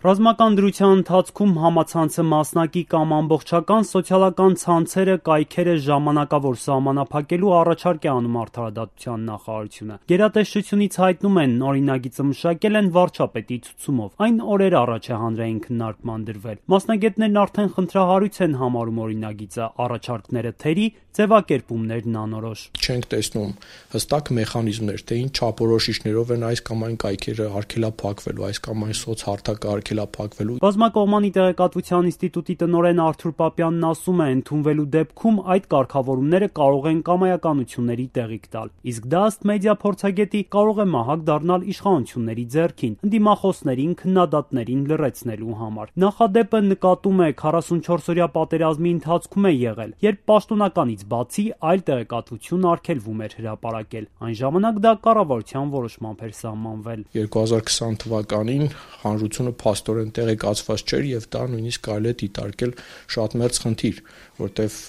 Ռազմական դրության ընթացքում համացանցը մասնակի կամ ամբողջական սոցիալական ցանցերը, կայքերը ժամանակավոր սահմանափակելու առաջարկ է անում Արդարադատության նախարարությունը։ Գերատեսչությունից հայտնում են, օրինագիծը մշակել են վարչապետի ցուցումով։ Այն օրեր առաջ է հանրային քննարկման դրվել։ Մասնագետներն արդեն խնդրահարույց են համարում օրինագիծը, առաջարկները թերի, ձևակերպումներն անորոշ։ Չենք տեսնում հստակ մեխանիզմներ, թե ինչ չափորոշիչներով են այս կամ այն կայքերը արգելափակվելու, այս կամ այն սոցհարթակը արգելափակվելու։ Բազմակողմանի տեղեկատվության ինստիտուտի տնօրեն Արթուր Պապյանն ասում է, ընդունվելու դեպքում այդ կարգավորումները կարող են կամայականությունների տեղիք տալ։ Իսկ դա ըստ մեդիա փորձագետի կարող է մահակ դառնալ իշխանությունների ձեռքին, ընդդիմախոսներին, քննադատներին լռեցնելու համար։ Նախադեպը նկատում է 44-օրյա պատերազմի ընթացքում է եղել, երբ պաշտոնականից բացի այլ տեղեկատվություն արգելվում էր հրապարակել։ Այն ժամանակ դա կառավարության որոշմամբ էր սահմանվել։ 2020 թվականին հանրությունը փաստորեն տեղեկացված չէր եւ դա նույնիսկ կարելի է դիտարկել շատ մեծ խնդիր, որտեվ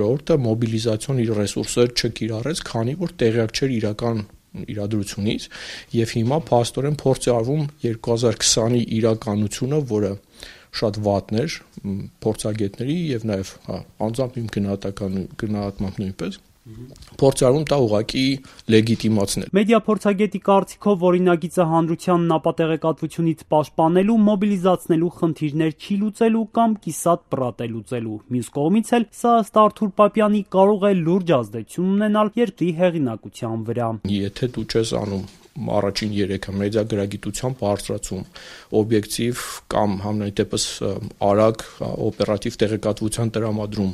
ժողովուրդը մոբիլիզացիոն իր ռեսուրսները չկիրառեց, քանի որ տեղյակ չէր իրական իրադրությունից եւ հիմա փաստորեն փորձ է արվում 2020-ի իրականությունը, որը շատ վատն էր փորձագետների եւ նաեւ անձամբ իմ գնահատմամբ նույնպես փորձ արվում դա ուղղակի լեգիտիմացնել։ Մեդիա փորձագետի կարծիքով օրինագիծը հանրությանն ապատեղեկատվությունից պաշտպանելու, մոբիլիզացնելու խնդիրներ չի լուծելու կամ կիսատ պռատ է լուծելու։ Մյուս կողմից էլ սա ըստ Արթուր Պապյանի կարող է լուրջ ազդեցություն ունենալ երկրի հեղինակության վրա։ Եթե դու չես անում առաջին 3-ը մեդիա գրագիտության բարձրացում, օբյեկտիվ կամ համենայն դեպս արագ օպերատիվ տեղեկատվության տրամադրում,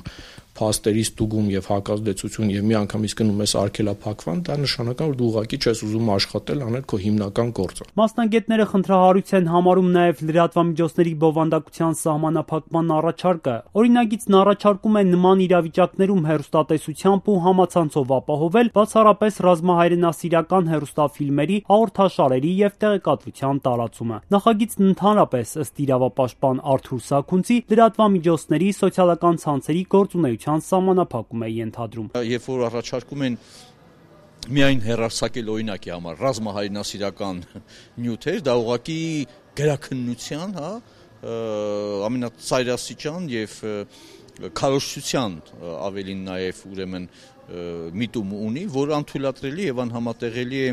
փաստերի ստուգում եւ հակազդեցություն եւ միանգամից գնում ես արգելափակվան, դա նշանակում որ դու ուղղակի չես ուզում աշխատել, անել քո հիմնական գործը։ Մասնագետները խնդրահարույց են համարում նաեւ լրատվամիջոցների բովանդակության սահմանափակման առաջարկը։ Օրինագիծն առաջարկում է նման իրավիճակներում հեռուստատեսությամբ ու համացանցով ապահովել բացառապես ռազմահայրենասիրական հեռուստաֆիլմերի, հաղորդաշարերի եւ տեղեկատվության տարածումը։ Նախագիծն ընդհանրապես ըստ իրավապաշտպան Արթուր Սաքունցի լրատվամիջոցների սոցիալական ցանցերի գործունեության սահմանափակում է ենթադրում։ Երբ որ առաջարկում են միայն հեռարձակել օրինակի համար ռազմահայրենասիրական նյութեր, դա ուղղակի գրաքննության, ամենածայրաստիճան եւ քարոզչության ավելին նաեւ ուրեմն միտում ունի, որը անթույլատրելի եւ անհամատեղելի է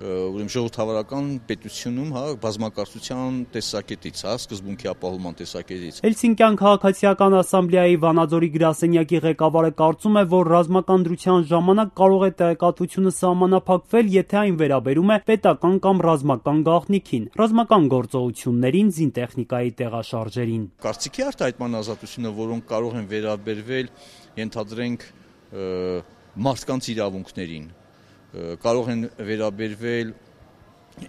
ուրեմն ժողովրդավարական պետությունում, բազմակարծության տեսակետից, սկզբունքի ապահովման տեսակետից։ Հելսինկյան քաղաքացիական ասամբլեայի Վանաձորի գրասենյակի ղեկավարը կարծում է, որ ռազմական դրության ժամանակ կարող է տեղեկատվությունը սահմանափակվել, եթե այն վերաբերում է պետական կամ ռազմական գաղտնիքին, ռազմական գործողություններին, զինտեխնիկայի տեղաշարժերին։ Կարծիքի արտահայտման ազատությունը, որոնք կարող են վերաբերվել, ենթադրենք, մարդկանց իրավունքներին, կարող են վերաբերվել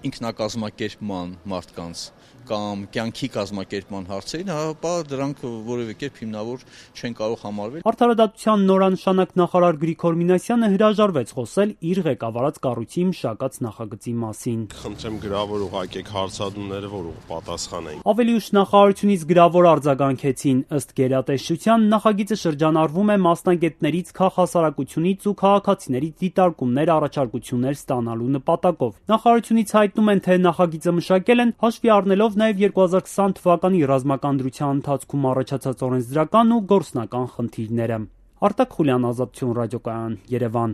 ինքնակազմակերպման մարդկանց կամ կյանքի կազմակերպման հարցերին, ապա դրանք որևէ կերպ հիմնավոր չեն կարող համարվել։ Արդարադատության նորանշանակ նախարար Գրիգոր Մինասյանը հրաժարվեց խոսել իր ղեկավարած կառույցի մշակած նախագծի մասին։ Խնդրեմ գրավոր ուղարկեք հարցադրումները, որ պատասխանենք։ Ավելի ուշ նախարարությունից գրավոր արձագանքեցին, ըստ գերատեսչության նախագիծը շրջանառվում է մասնագետներից, քաղաքասարակությունից ու քաղաքացիներից դիտարկումներ, առաջարկություններ ստանալու նպատակով։ Նախարարությունից հայտնում են, թե նախագիծը մշակել են հաշվի առնելով նաև 2020 թվականի ռազմական դրության ընթացքում առաջացած օրենսդրական ու գործնական խնդիրները։ Արտակ Խուլյան, Ազատություն ռադիոկայան, Երևան։